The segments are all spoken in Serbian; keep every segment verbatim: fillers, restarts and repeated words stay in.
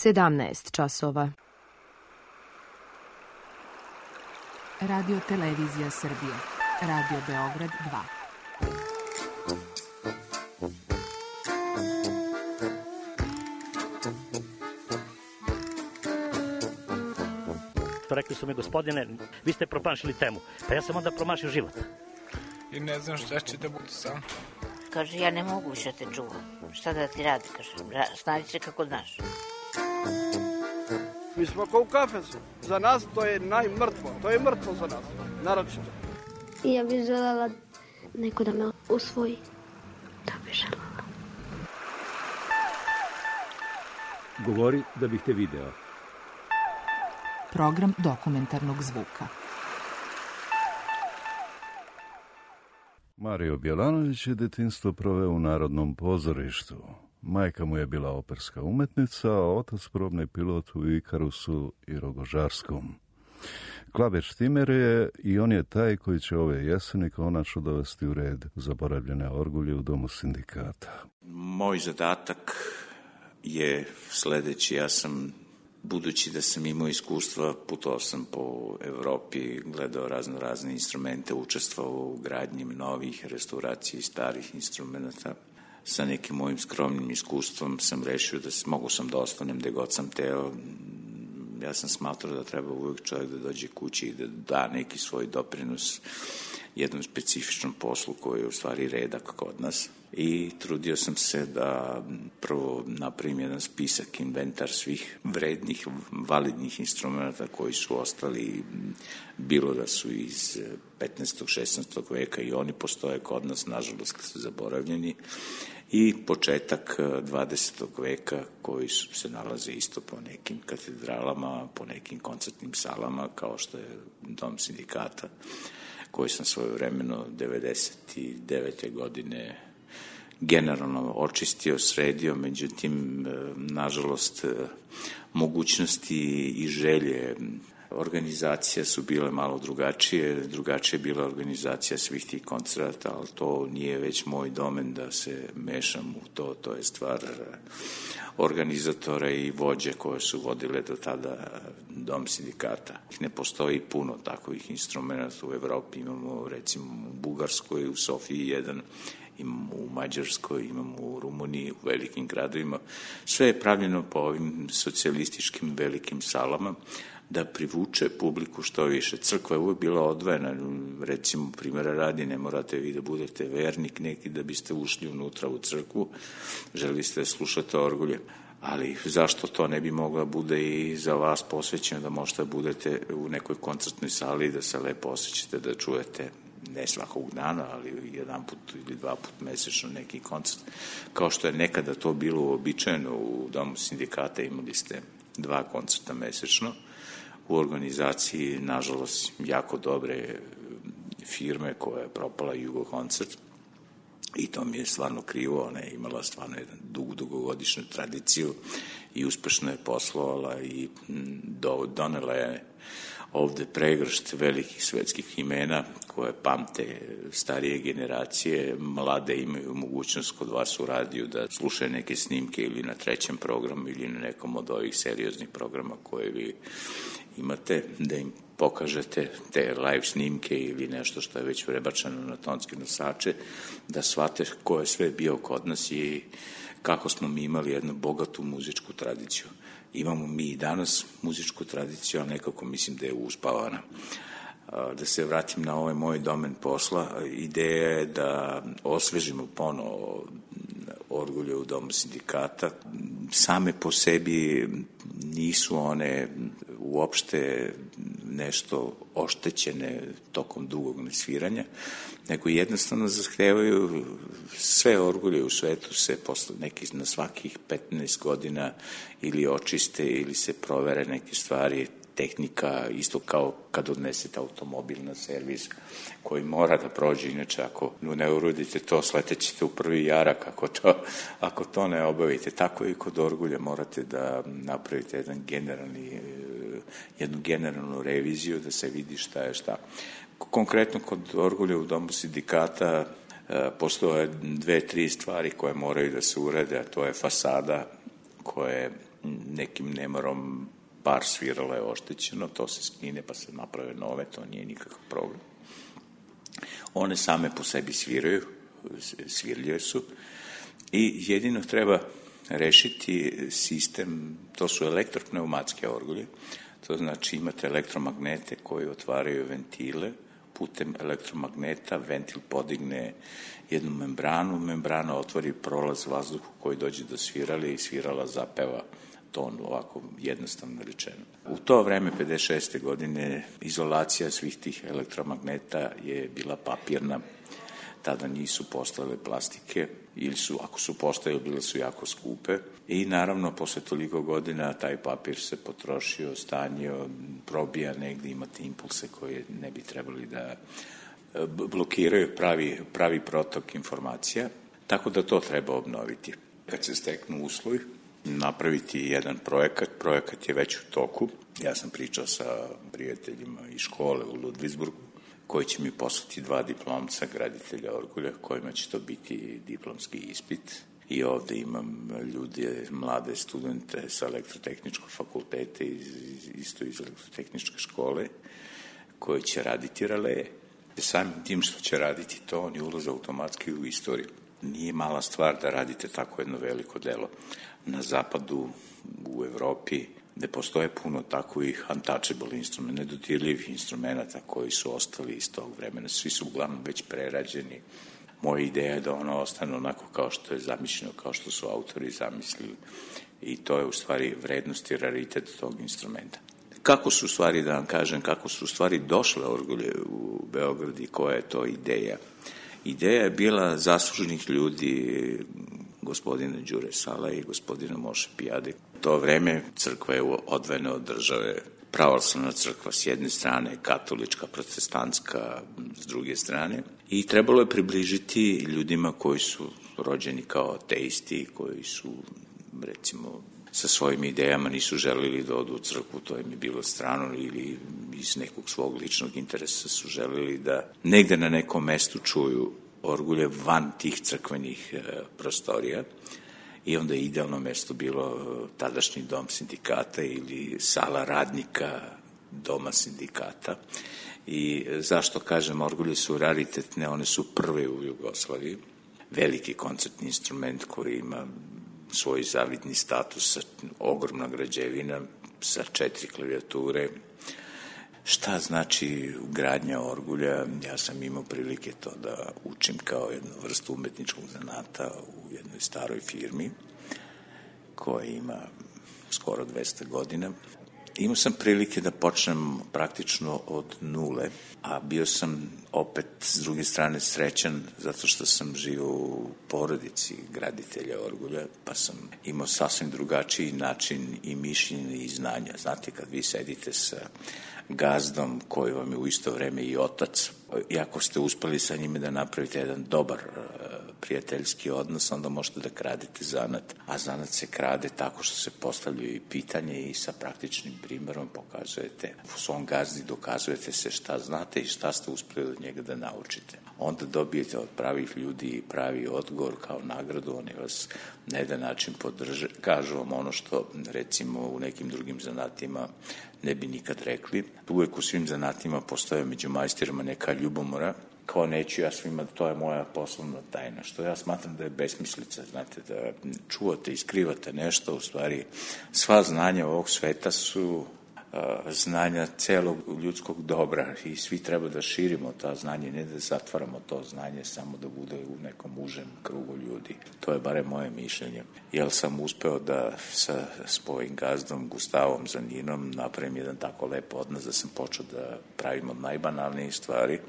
sedamnaest časova. Radio Televizija Srbije. Radio Beograd dva. Rekli su mi, gospodine, vi ste promašili temu. Pa ja sam onda promašio život. I ne znam šta će da bude sam. Kaže, ja ne mogu više te čuvam. Šta da ti radi, kaže, snađi se kako znaš. Mi smo kao u kafesu. Za nas to je najmrtvo. To je mrtvo za nas, naročito. I ja bih želela neko da me usvoji. Da bih želela. Govori da bih te video. Program dokumentarnog zvuka. Mario Bjelanović je detinjstvo proveo u Narodnom pozorištu. Majka mu je bila operska umetnica, a otac probni pilot u Ikarusu i Rogožarskom. Klaber Štimer je i on je taj koji će ove jeseni konačno dovesti u red zaboravljene orgulje u Domu sindikata. Moj zadatak je sledeći. Ja sam, budući da sam imao iskustva, putovao sam po Evropi, gledao razno razne instrumente, učestvovao u gradnji novih restauraciji starih instrumenta. Sa nekim mojim skromnim iskustvom sam rešio da mogu sam da ostanem gde god sam teo. Ja sam smatrao da treba uvijek čovjek da dođe kući i da da neki svoj doprinos jednom specifičnom poslu koji je u stvari redak kod nas. I trudio sam se da prvo napravim jedan spisak, inventar svih vrednih, validnih instrumenta koji su ostali, bilo da su iz petnaestog. šesnaestog veka i oni postoje kod nas, nažalost, zaboravljeni, i početak dvadesetog veka koji su, se nalaze isto po nekim katedralama, po nekim koncertnim salama, kao što je Dom sindikata, koji sam svojevremeno devedeset devete godine generalno očistio, sredio, međutim, nažalost, mogućnosti i želje organizacija su bile malo drugačije, drugačije je bila organizacija svih tih koncerata, ali to nije već moj domen da se mešam u to, to je stvar organizatora i vođe koje su vodile do tada Dom sindikata. Ne postoji puno takvih instrumenta u Evropi, imamo recimo u Bugarskoj, u Sofiji jedan, imamo u Mađarskoj, imamo u Rumuniji, u velikim gradovima. Sve je pravljeno po ovim socijalističkim velikim salama da privuče publiku što više. Crkva je uvijek bila odvojena, recimo primjera radi, ne morate vi da budete vernik neki da biste ušli unutra u crkvu, želi ste slušati orgulje, ali zašto to ne bi mogla bude i za vas posvećeno da možete budete u nekoj koncertnoj sali i da se lepo osjećate da čujete, ne svakog dana, ali jedan put ili dva put mesečno neki koncert, kao što je nekada to bilo uobičajeno u Domu sindikata, imali ste dva koncerta mesečno, u organizaciji, nažalost, jako dobre firme koja je propala Jugo koncert i to mi je stvarno krivo. Ona je imala stvarno jedan dug, dugogodišnju tradiciju i uspešno je poslovala i do, donela je ovde pregršt velikih svetskih imena koje pamte starije generacije, mlade imaju mogućnost kod vas u radiju da slušaju neke snimke ili na trećem programu ili na nekom od ovih serioznih programa koje vi imate, da im pokažete te live snimke ili nešto što je već prebačeno na tonske nosače, da shvate ko je sve bio kod nas i kako smo mi imali jednu bogatu muzičku tradiciju. Imamo mi i danas muzičku tradiciju, a nekako mislim da je uspavana. Da se vratim na ovaj moj domen posla, ideja je da osvežimo ponovo orgulje u Domu sindikata. Same po sebi nisu one uopšte nešto oštećene tokom dugog nesviranja, nego jednostavno zahtevaju sve orgulje u svetu se posle nekih na svakih petnaest godina ili očiste ili se provere neke stvari, tehnika, isto kao kad odnesete automobil na servis koji mora da prođe, inače ako ne urodite to, sletećete u prvi jarak ako to, ako to ne obavite. Tako i kod orgulja morate da napravite jedan generalni, jednu generalnu reviziju da se vidi šta je šta. Konkretno kod orgulja u Domu sindikata postoje dve, tri stvari koje moraju da se urede, a to je fasada koja je nekim nemarom par svirala je oštećeno, to se skine pa se naprave nove, to nije nikakav problem. One same po sebi sviraju, svirljive su i jedino treba rešiti sistem, to su elektropneumatske orgulje, to znači imate elektromagnete koji otvaraju ventile, putem elektromagneta ventil podigne jednu membranu, membrana otvori prolaz vazduhu koji dođe do svirale i svirala zapeva ton, ovako jednostavno rečeno. U to vreme, pedeset šeste godine, izolacija svih tih elektromagneta je bila papirna, tada nisu postojale plastike, ili su, ako su postojale, bile su jako skupe i naravno, posle toliko godina taj papir se potrošio, stanjio, probija negde, imate impulse koje ne bi trebali da blokiraju pravi, pravi protok informacija, tako da to treba obnoviti. Kad se steknu uslovi, napraviti jedan projekat, projekat je već u toku, ja sam pričao sa prijateljima iz škole u Ludvigsburgu, koji će mi poslati dva diplomca graditelja orgulja, kojima će to biti diplomski ispit. I ovde imam ljude, mlade studente sa elektrotehničkog fakulteta, iz, isto iz elektrotehničke škole, koji će raditi raleje. Samim tim što će raditi to, oni ulaze automatski u istoriju. Nije mala stvar da radite tako jedno veliko delo. Na zapadu, u Evropi, gde postoje puno takovih untouchable instrumenta, nedodirljivih instrumenta koji su ostali iz tog vremena. Svi su uglavnom već prerađeni. Moja ideja je da ono ostane onako kao što je zamišljeno, kao što su autori zamislili. I to je u stvari vrednost i raritet tog instrumenta. Kako su u stvari, da vam kažem, kako su u stvari došle orgulje u Beograd i koja je to ideja? Ideja je bila zaslužnih ljudi, gospodina Đure Sala i gospodina Moše Pijade. To vreme crkva je odvojena od države, pravoslavna crkva s jedne strane, katolička, protestantska s druge strane. I trebalo je približiti ljudima koji su rođeni kao ateisti, koji su, recimo, sa svojim idejama nisu želili da odu u crkvu, to im je bilo strano, ili iz nekog svog ličnog interesa su želili da negde na nekom mestu čuju orgulje van tih crkvenih e, prostorija. I onda je idealno mesto bilo tadašnji dom sindikata ili sala radnika doma sindikata. I zašto kažem, orgulje su raritetne, one su prve u Jugoslaviji. Veliki koncertni instrument koji ima svoj zavidni status, ogromna građevina sa četiri klavijature. Šta znači gradnja orgulja? Ja sam imao prilike to da učim kao jednu vrstu umetničkog zanata u jednoj staroj firmi koja ima skoro dvesta godina. Imao sam prilike da počnem praktično od nule, a bio sam opet s druge strane srećan zato što sam živio u porodici graditelja orgulja, pa sam imao sasvim drugačiji način i mišljenje i znanja. Znate, kad vi sedite sa gazdom koji vam je u isto vreme i otac, i ako ste uspeli sa njime da napravite jedan dobar prijateljski odnos, onda možete da kradete zanat, a zanat se krade tako što se postavljaju i pitanje i sa praktičnim primerom pokazujete u svom gazdi, dokazujete se šta znate i šta ste uspeli od njega da naučite. Onda dobijete od pravih ljudi pravi odgovor kao nagradu, oni vas na jedan način podrže, kažu vam ono što recimo u nekim drugim zanatima ne bi nikad rekli. Uvek u svim zanatima postoje među majstorima neka ljubomora, kao neću ja svima, to je moja poslovna tajna, što ja smatram da je besmislica, znate, da čuvate i skrivate nešto, u stvari sva znanja ovog sveta su znanja celog ljudskog dobra i svi treba da širimo ta znanje, ne da zatvaramo to znanje samo da bude u nekom užem krugu ljudi. To je bare moje mišljenje. Jer sam uspeo da sa svojim gazdom Gustavom Zaninom napravim jedan tako lep odnos da sam počeo da pravim od najbanalnijih stvari.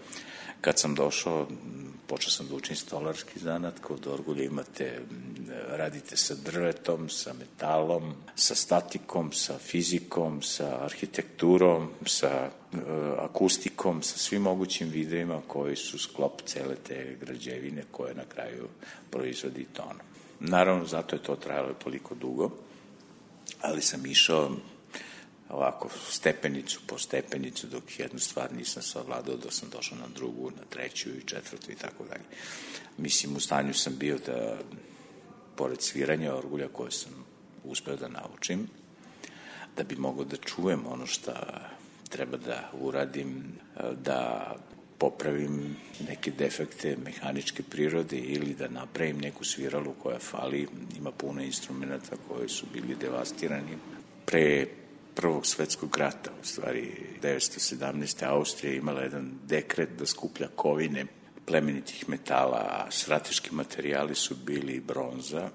Kad sam došao, počeo sam da učim stolarski zanat, kod orgulja imate, radite sa drvetom, sa metalom, sa statikom, sa fizikom, sa arhitekturom, sa uh, akustikom, sa svim mogućim videima koji su sklop cele te građevine koje na kraju proizvodi ton. Naravno, zato je to trajalo toliko dugo, ali sam išao ovako stepenicu po stepenicu dok jednu stvar nisam savladao, dok sam došao na drugu, na treću i četvrtu i tako dalje. Mislim, u stanju sam bio da, pored sviranja orgulja koje sam uspeo da naučim, da bi mogao da čujem ono što treba da uradim, da popravim neke defekte mehaničke prirode ili da napravim neku sviralu koja fali. Ima puno instrumenta koji su bili devastirani. Pre Prvog svetskog rata, u stvari devetsto sedamnaeste. Austrija imala jedan dekret da skuplja kovine plemenitih metala, a strateški materijali su bili bronza,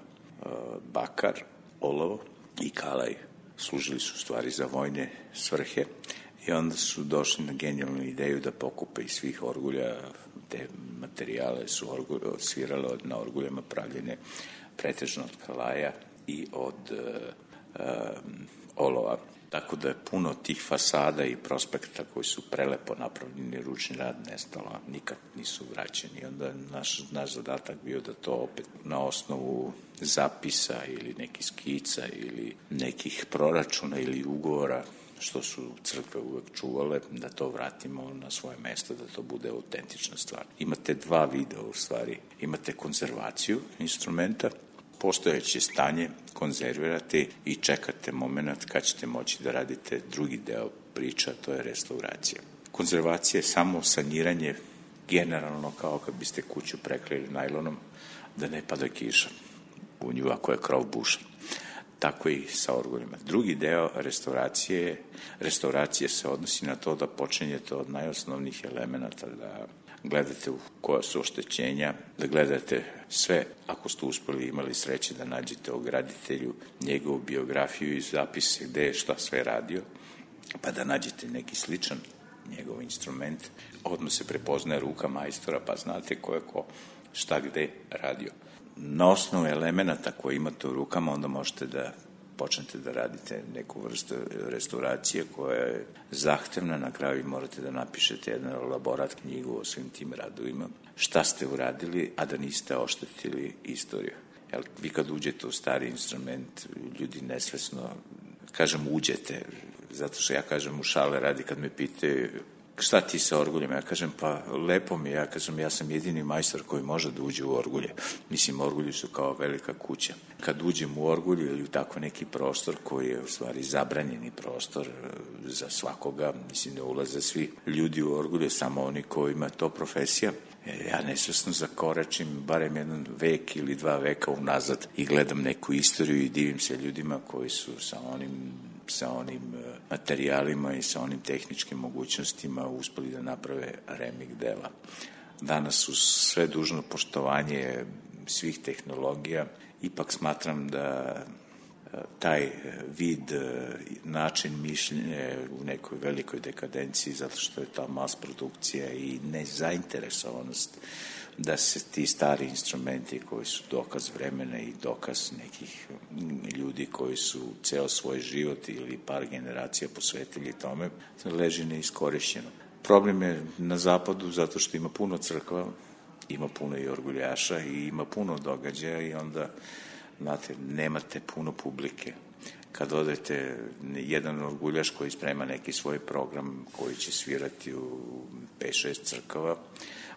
bakar, olovo i kalaj. Služili su u stvari za vojne svrhe i onda su došli na genijalnu ideju da pokupe iz svih orgulja te materijale su svirale na orguljama pravljene pretežno od kalaja i od uh, um, olova. Tako da je puno tih fasada i prospekta koji su prelepo napravljeni, ručni rad nestalo, nikad nisu vraćeni. Onda naš, naš zadatak bio da to opet na osnovu zapisa ili nekih skica ili nekih proračuna ili ugovora, što su crkve uvek čuvale, da to vratimo na svoje mesto, da to bude autentična stvar. Imate dva videa u stvari. Imate konzervaciju instrumenta, postojeće stanje konzervirate i čekate moment kad ćete moći da radite drugi deo priča, to je restauracija. Konzervacija je samo saniranje generalno kao kad biste kuću prekrili najlonom da ne pada kiša u nju ako je krov bušan. Tako i sa orguljima. Drugi deo restauracije, restauracije se odnosi na to da počinjete od najosnovnijih elemenata, da gledate u koja su oštećenja, da gledate sve, ako ste uspeli imali sreće da nađete o graditelju njegovu biografiju i zapise gde je šta sve radio, pa da nađete neki sličan njegov instrument, odmah se prepoznaje ruka majstora, pa znate ko je ko šta gde radio. Na osnovu elemenata koje imate u rukama, onda možete da počnete da radite neku vrstu restauracije koja je zahtevna, na kraju morate da napišete jedan elaborat knjigu o svim tim radovima, šta ste uradili, a da niste oštetili istoriju. Jel, vi kad uđete u stari instrument, ljudi nesvesno, kažem uđete, zato što ja kažem u šale radi kad me pitaju šta ti sa orguljem, ja kažem pa lepo mi, ja kažem ja sam jedini majstor koji može da uđe u orgulje. Mislim, orgulji su kao velika kuća. Kad uđem u orgulju ili u tako neki prostor koji je u stvari zabranjeni prostor za svakoga, mislim ne ulaze svi ljudi u orgulje, samo oni kojima to profesija, ja nesvesno zakoračim barem jedan vek ili dva veka unazad i gledam neku istoriju i divim se ljudima koji su sa onim sa onim materijalima i sa onim tehničkim mogućnostima uspeli da naprave remik dela. Danas su sve dužno poštovanje svih tehnologija, ipak smatram da taj vid, način mišljenja u nekoj velikoj dekadenciji zato što je ta mas produkcija i nezainteresovanost da se ti stari instrumenti koji su dokaz vremena i dokaz nekih ljudi koji su ceo svoj život ili par generacija posvetili tome, leži neiskorišćeno. Problem je na zapadu zato što ima puno crkva, ima puno i orguljaša i ima puno događaja i onda, znate, nemate puno publike. Kad odete jedan orguljaš koji sprema neki svoj program koji će svirati u pet šest crkava,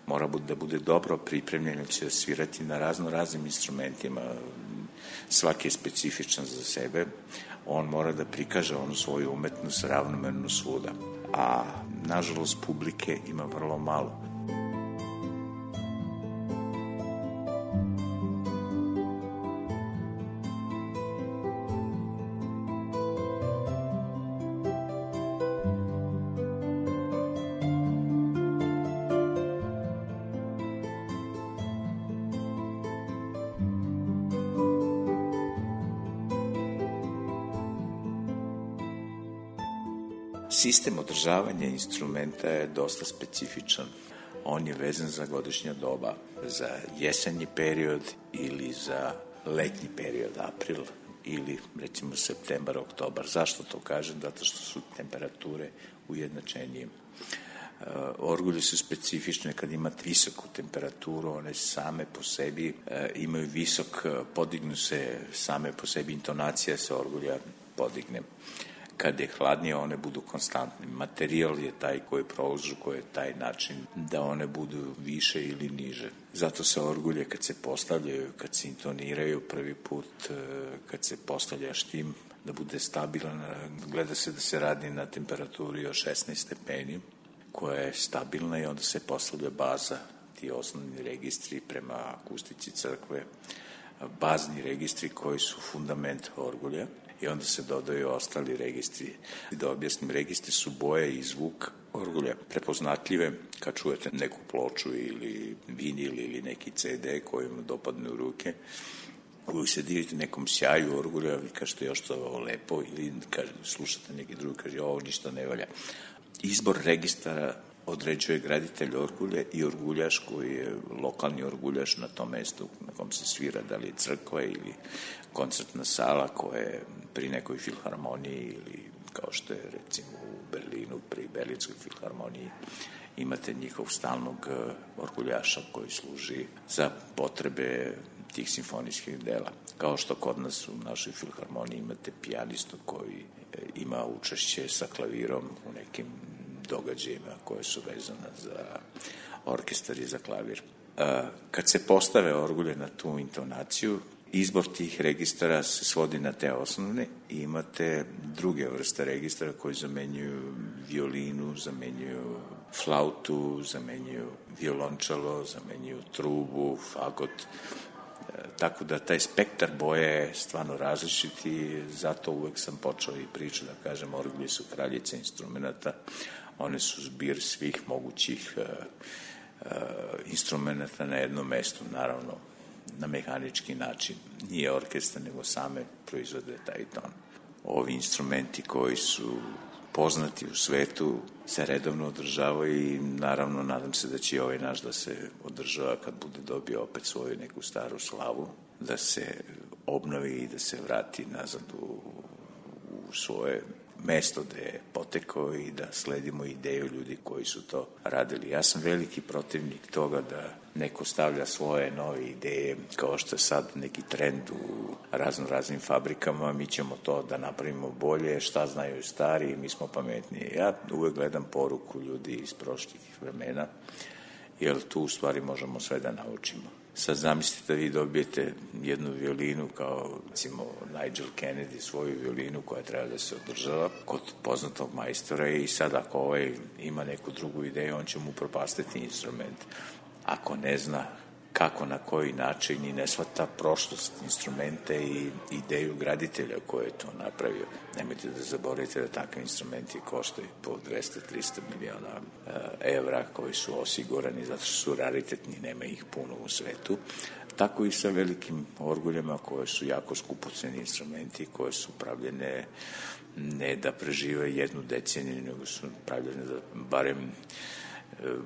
mora da bude dobro pripremljen, će svirati na razno raznim instrumentima, svaki je specifičan za sebe, on mora da prikaže onu svoju umetnost ravnomerno svuda, a nažalost publike ima vrlo malo. Sistem održavanja instrumenta je dosta specifičan. On je vezan za godišnja doba, za jesenji period ili za letnji period, april ili recimo septembar, oktobar. Zašto to kažem? Zato što su temperature ujednačenije. Orgulje su specifične kad imate visoku temperaturu, one same po sebi imaju visok, podignu se same po sebi, intonacija se orgulja podigne. kad je hladnije one budu konstantne. Materijal je taj koji prouzrokuje taj način da one budu više ili niže. Zato se orgulje kad se postavljaju, kad se intoniraju prvi put, kad se postavlja štim, da bude stabilan, gleda se da se radi na temperaturi od šesnaest stepeni, koja je stabilna i onda se postavlja baza, ti osnovni registri prema akustici crkve, bazni registri koji su fundament orgulja i onda se dodaju ostali registri. Da objasnim, registri su boje i zvuk orgulja prepoznatljive kad čujete neku ploču ili vinil ili neki ce de koji vam dopadne u ruke. Uvijek se divite nekom sjaju orgulja, vi kažete još to ovo lepo ili kaže, slušate neki drugi, kaže ovo ništa ne valja. Izbor registara određuje graditelj orgulje i orguljaš koji je lokalni orguljaš na tom mestu na kom se svira, da li je crkva ili koncertna sala koja je pri nekoj filharmoniji ili kao što je recimo u Berlinu pri Berlinskoj filharmoniji imate njihov stalnog orguljaša koji služi za potrebe tih simfonijskih dela. Kao što kod nas u našoj filharmoniji imate pijanistu koji ima učešće sa klavirom u nekim događajima koje su vezane za orkestar i za klavir. Kad se postave orgulje na tu intonaciju, izbor tih registara se svodi na te osnovne i imate druge vrste registara koji zamenjuju violinu, zamenjuju flautu, zamenjuju violončelo, zamenjuju trubu, fagot. Tako da taj spektar boje je stvarno različit i zato uvek sam počeo i priču da kažem orgulje su kraljice instrumenta, one su zbir svih mogućih uh, uh, instrumenta na jednom mestu, naravno na mehanički način, nije orkestar nego same proizvode taj ton. Ovi instrumenti koji su poznati u svetu se redovno održavaju i naravno nadam se da će i ovaj naš da se održava kad bude dobio opet svoju neku staru slavu, da se obnovi i da se vrati nazad u, u svoje mesto gde je potekao i da sledimo ideju ljudi koji su to radili. Ja sam veliki protivnik toga da neko stavlja svoje nove ideje, kao što je sad neki trend u razno raznim fabrikama, mi ćemo to da napravimo bolje, šta znaju stari, mi smo pametniji. Ja uvek gledam poruku ljudi iz prošlih vremena, jer tu u stvari možemo sve da naučimo. Sad zamislite da vi dobijete jednu violinu kao, recimo, Nigel Kennedy, svoju violinu koja treba da se održava kod poznatog majstora i sad ako ovaj ima neku drugu ideju, on će mu propastiti instrument. Ako ne zna kako, na koji način i ne shvata prošlost instrumente i ideju graditelja koji je to napravio. Nemojte da zaboravite da takvi instrumenti koštaju po dvesta do trista miliona evra koji su osigurani zato što su raritetni, nema ih puno u svetu. Tako i sa velikim orguljama koje su jako skupoceni instrumenti, koje su pravljene ne da prežive jednu deceniju, nego su pravljene da barem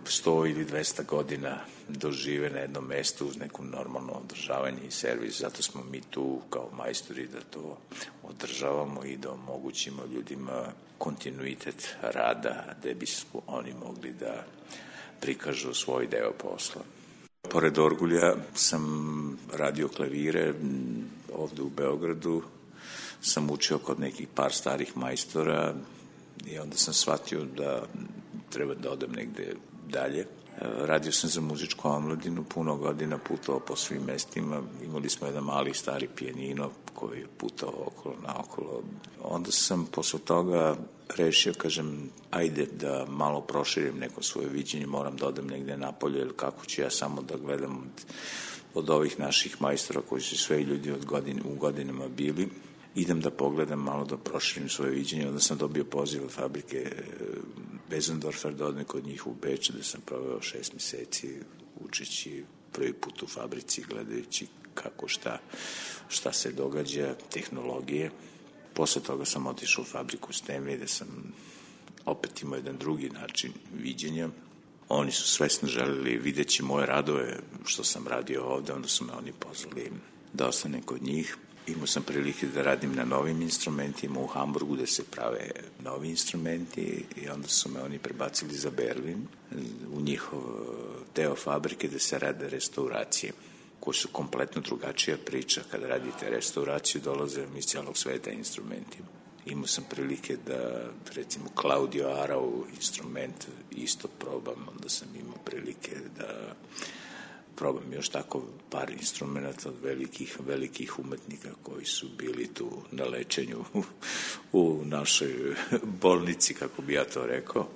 sto ili dvesta godina dožive na jednom mestu uz neku normalno održavanje i servis. Zato smo mi tu kao majstori da to održavamo i da omogućimo ljudima kontinuitet rada gde bi oni mogli da prikažu svoj deo posla. Pored orgulja sam radio klavire ovde u Beogradu, sam učio kod nekih par starih majstora i onda sam shvatio da treba da odem negde dalje. Radio sam za muzičku omladinu, puno godina putovao po svim mestima. Imali smo jedan mali stari pijanino koji je putao okolo naokolo. Onda sam posle toga rešio, kažem, ajde da malo proširim neko svoje viđenje, moram da odem negde napolje, ili kako ću ja samo da gledam od, od ovih naših majstora koji su sve ljudi od godin, u godinama bili. Idem da pogledam malo, da proširim svoje viđenje. Onda sam dobio poziv od fabrike Bezendorfer da odem kod njih u Beč, da sam proveo šest meseci učeći prvi put u fabrici, gledajući kako šta, šta se događa, tehnologije. Posle toga sam otišao u fabriku Stenway, gde sam opet imao jedan drugi način viđenja. Oni su svesno želeli videći moje radove što sam radio ovde, onda su me oni pozvali da ostanem kod njih. Imao sam prilike da radim na novim instrumentima u Hamburgu gde se prave novi instrumenti i onda su me oni prebacili za Berlin u njihov deo fabrike gde se rade restauracije koje su kompletno drugačija priča. Kada radite restauraciju dolaze iz cijelog sveta instrumenti. Imao sam prilike da, recimo, Claudio Arau instrument isto probam, onda sam imao prilike da probam još tako par instrumenta od velikih, velikih umetnika koji su bili tu na lečenju u, u našoj bolnici, kako bi ja to rekao.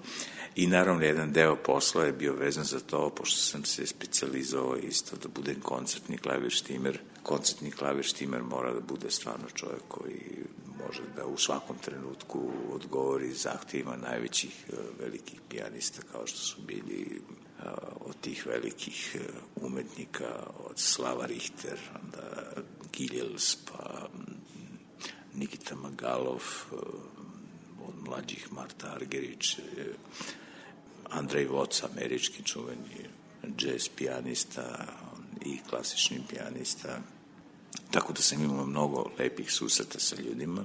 I naravno, jedan deo posla je bio vezan za to, pošto sam se specijalizovao isto da budem koncertni klavirštimer. Koncertni klavirštimer mora da bude stvarno čovjek koji može da u svakom trenutku odgovori zahtjevima najvećih velikih pijanista, kao što su bili od tih velikih umetnika, od Slava Richter, onda Giljels, pa Nikita Magalov, od mlađih Marta Argerić, Andrej Voc, američki čuveni jazz pijanista i klasični pijanista. Tako da sam imao mnogo lepih susreta sa ljudima.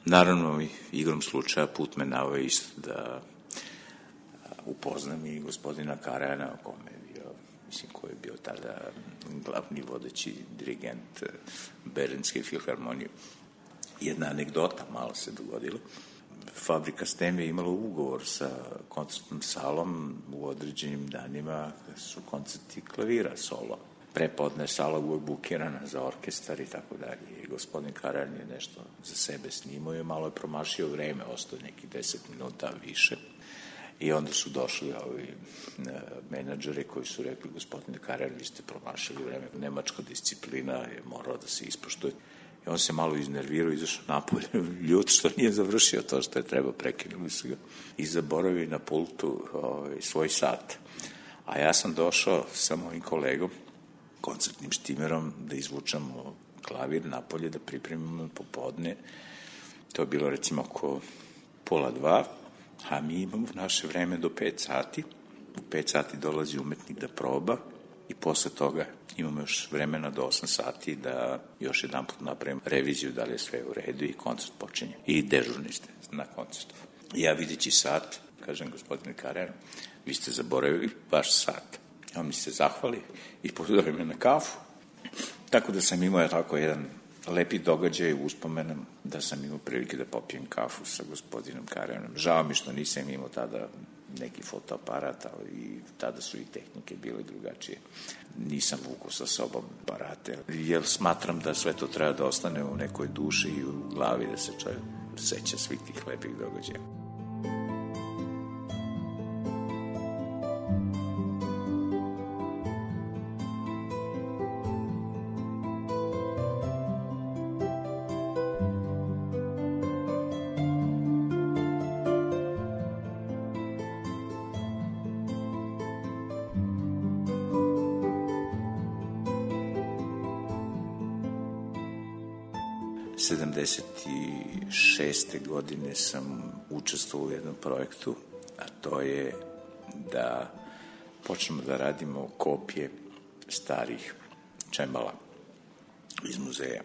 Naravno, igrom slučaja put me naveo isto da upoznam i gospodina Karajana, o kome je bio, mislim, koji je bio tada glavni vodeći dirigent Berlinske filharmonije. Jedna anegdota malo se dogodila. Fabrika Stem je imala ugovor sa koncertnom salom u određenim danima, su koncerti klavira solo. Prepodne sala uvijek bukirana za orkestar i tako dalje. I gospodin Karajan je nešto za sebe snimao i malo je promašio vreme, ostao neki deset minuta više. I onda su došli ovi menadžeri koji su rekli, gospodine Karajan, vi ste promašili vreme, nemačka disciplina je morala da se ispoštuje. I on se malo iznervirao, izašao napolje, ljud što nije završio to što je treba, prekinuli su ga i zaboravili na pultu ovaj, svoj sat. A ja sam došao sa mojim kolegom, koncertnim štimerom, da izvučamo klavir napolje, da pripremimo popodne. To je bilo recimo oko pola dva, a mi imamo naše vreme do pet sati. U pet sati dolazi umetnik da proba i posle toga imamo još vremena do osam sati da još jedan put napravimo reviziju da li je sve u redu i koncert počinje. I dežurni ste na koncertu. Ja videći sat, kažem, gospodine Karajan, vi ste zaboravili vaš sat. On mi se zahvali i pozove me na kafu. Tako da sam imao tako jedan lepi događaj u uspomenom da sam imao prilike da popijem kafu sa gospodinom Karajanom. Žao mi što nisam imao tada neki fotoaparat, ali i tada su i tehnike bile drugačije. Nisam vukao sa sobom aparate, jer smatram da sve to treba da ostane u nekoj duši i u glavi, da se čovjek seća svih tih lepih događaja. sedamdeset šeste godine sam učestvovao u jednom projektu, a to je da počnemo da radimo kopije starih čembala iz muzeja.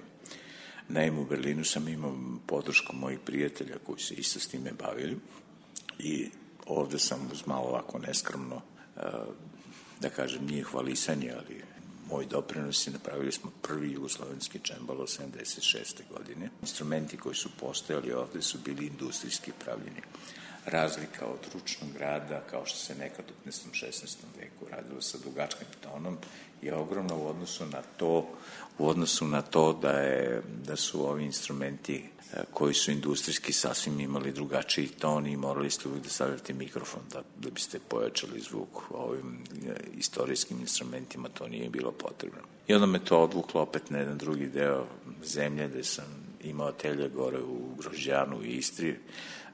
Naime, u Berlinu sam imao podršku mojih prijatelja koji se isto s time bavili i ovde sam uz malo ovako neskromno, da kažem, nije hvalisanje, ali moj doprinos je, napravili smo prvi jugoslovenski čembalo sedamdeset šeste godine. Instrumenti koji su postojali ovde su bili industrijski pravljeni. Razlika od ručnog rada, kao što se nekad u petnaestom šesnaestom veku radilo sa dugačkim tonom, je ogromno u odnosu na to, u odnosu na to da, je, da su ovi instrumenti koji su industrijski sasvim imali drugačiji ton i morali ste uvijek da stavljate mikrofon da, da biste pojačali zvuk. Ovim istorijskim instrumentima to nije bilo potrebno. I onda me to odvuklo opet na jedan drugi deo zemlje gde sam imao atelje gore u Grožđanu i Istri,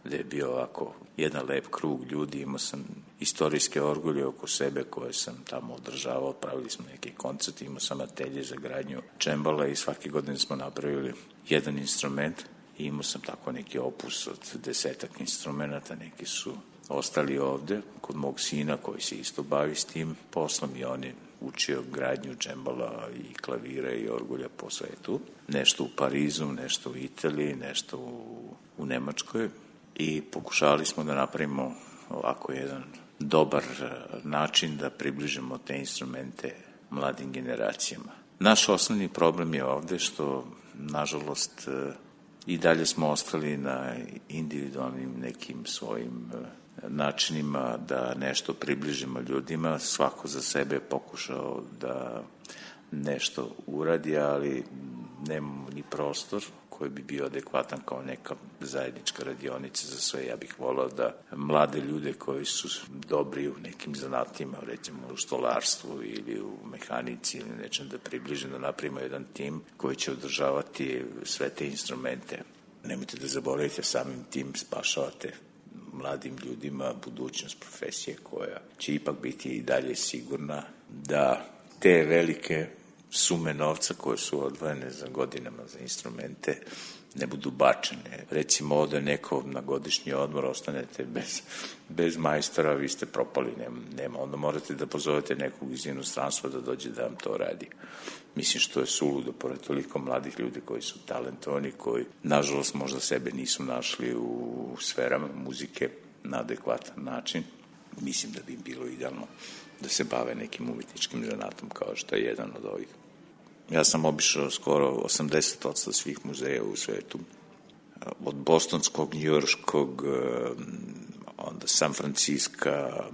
gde je bio ovako jedan lep krug ljudi, imao sam istorijske orgulje oko sebe koje sam tamo održavao, pravili smo neke koncerte, imao sam atelje za gradnju čembala i svake godine smo napravili jedan instrument i imao sam tako neki opus od desetak instrumenta, neki su ostali ovde kod mog sina koji se isto bavi s tim poslom i on je učio gradnju džembala i klavira i orgulja po svetu. Nešto u Parizu, nešto u Italiji, nešto u, u Nemačkoj i pokušali smo da napravimo ovako jedan dobar način da približimo te instrumente mladim generacijama. Naš osnovni problem je ovde što, nažalost, i dalje smo ostali na individualnim nekim svojim načinima da nešto približimo ljudima. Svako za sebe je pokušao da nešto uradi, ali nemamo ni prostor koji bi bio adekvatan kao neka zajednička radionica za sve. Ja bih volao da mlade ljude koji su dobri u nekim zanatima, recimo u stolarstvu ili u mehanici ili nečem, da približim, da napravimo jedan tim koji će održavati sve te instrumente. Nemojte da zaboravite, samim tim spašavate mladim ljudima budućnost profesije koja će ipak biti i dalje sigurna, da te velike sume novca koje su odvojene za godinama za instrumente ne budu bačene. Recimo, ode neko na godišnji odmor, ostanete bez, bez majstora, vi ste propali, nema, nema. Onda morate da pozovete nekog iz inostranstva da dođe da vam to radi. Mislim što je suludo, pored toliko mladih ljudi koji su talentovani, koji, nažalost, možda sebe nisu našli u sferama muzike na adekvatan način. Mislim da bi im bilo idealno da se bave nekim umetničkim zanatom kao što je jedan od ovih. Ja sam obišao skoro osamdeset posto svih muzeja u svetu. Od bostonskog, njujorškog, onda San Franciska,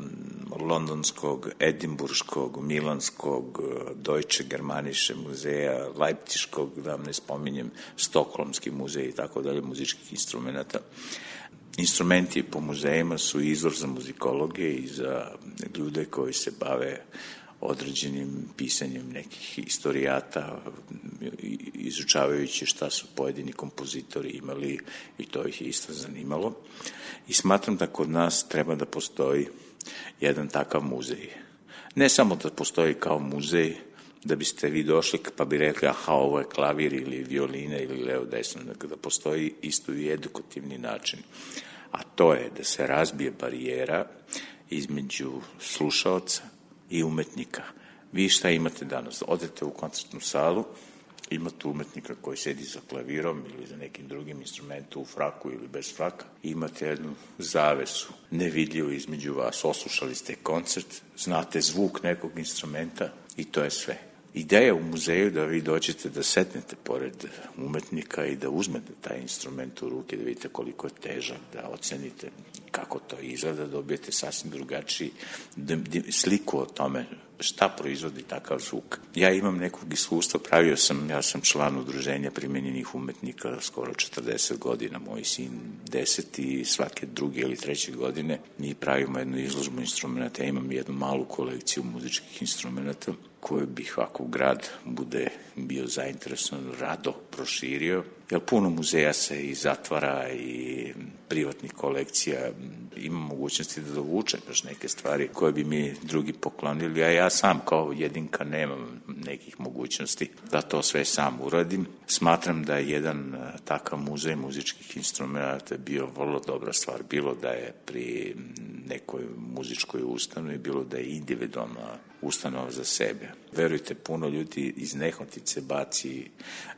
londonskog, edimburškog, milanskog, Deutsche Germanische muzeja, Leipziškog, da vam ne spominjem, Stokholmski muzej i tako dalje, muzičkih instrumenta. Instrumenti po muzejima su izvor za muzikologe i za ljude koji se bave određenim pisanjem nekih istorijata, izučavajući šta su pojedini kompozitori imali, i to ih je isto zanimalo. I smatram da kod nas treba da postoji jedan takav muzej. Ne samo da postoji kao muzej, da biste vi došli pa bi rekli aha, ovo je klavir ili violina ili levo desno, da postoji isto i edukativni način. A to je da se razbije barijera između slušaoca i umetnika. Vi šta imate danas? Odete u koncertnu salu, imate umetnika koji sedi za klavirom ili za nekim drugim instrumentom u fraku ili bez fraka, imate jednu zavesu nevidljivu između vas. Oslušali ste koncert, znate zvuk nekog instrumenta i to je sve. Ideja u muzeju da vi dođete da setnete pored umetnika i da uzmete taj instrument u ruke, da vidite koliko je težak, da ocenite kako to izgleda, da dobijete sasvim drugačiji sliku o tome šta proizvodi takav zvuk. Ja imam nekog iskustva, pravio sam, ja sam član udruženja primenjenih umetnika skoro četrdeset godina, moj sin deset i svake druge ili treće godine mi pravimo jednu izložbu instrumenta. Ja imam jednu malu kolekciju muzičkih instrumenta koju bih ovako grad bude bio zainteresovan rado proširio, jer puno muzeja se i zatvara i privatnih kolekcija, ima mogućnosti da dovuče baš neke stvari koje bi mi drugi poklonili, a ja sam kao jedinka nemam nekih mogućnosti da to sve sam uradim. Smatram da je jedan takav muzej muzičkih instrumenta bio vrlo dobra stvar, bilo da je pri nekoj muzičkoj ustanovi, bilo da je individualna ustanova za sebe. Verujte, puno ljudi iz nehotice baci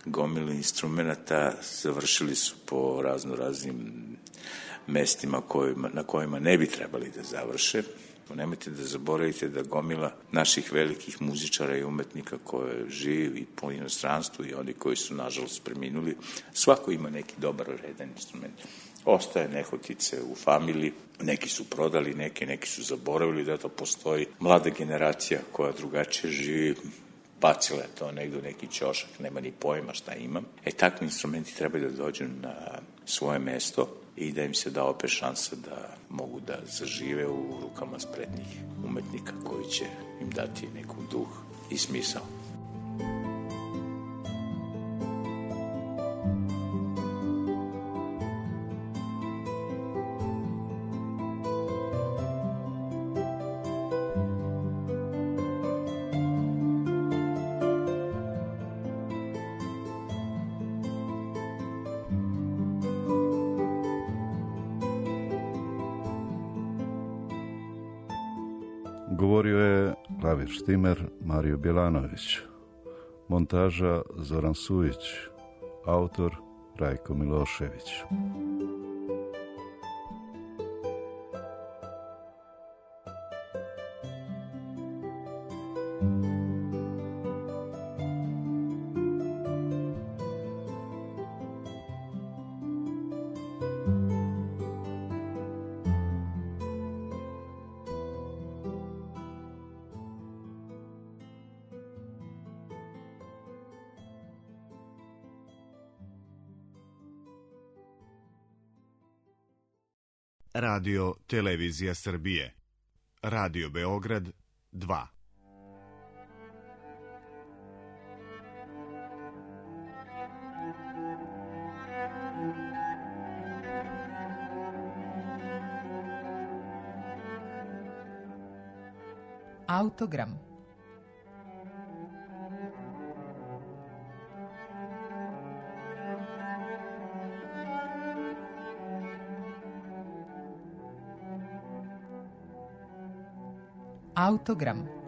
gomilu instrumenta, završili su po razno raznim mestima kojima, na kojima ne bi trebali da završe. Nemojte da zaboravite da gomila naših velikih muzičara i umetnika koje živi i po inostranstvu i oni koji su nažalost preminuli, svako ima neki dobar redan instrument. Ostaje nehotice u familiji, neki su prodali, neki, neki su zaboravili da to postoji. Mlada generacija koja drugačije živi, bacila je to negdje u neki ćošak, nema ni pojma šta ima. E, takvi instrumenti trebaju da dođu na svoje mesto i da im se da opet šansa da mogu da zažive u rukama spretnih umetnika koji će im dati neku duh i smisao. Govorio je klavirštimer Mario Bjelanović, montaža Zoran Sujić, autor Rajko Milošević. Radio Televizija Srbije. Radio Beograd dva. Autogram. Autogram.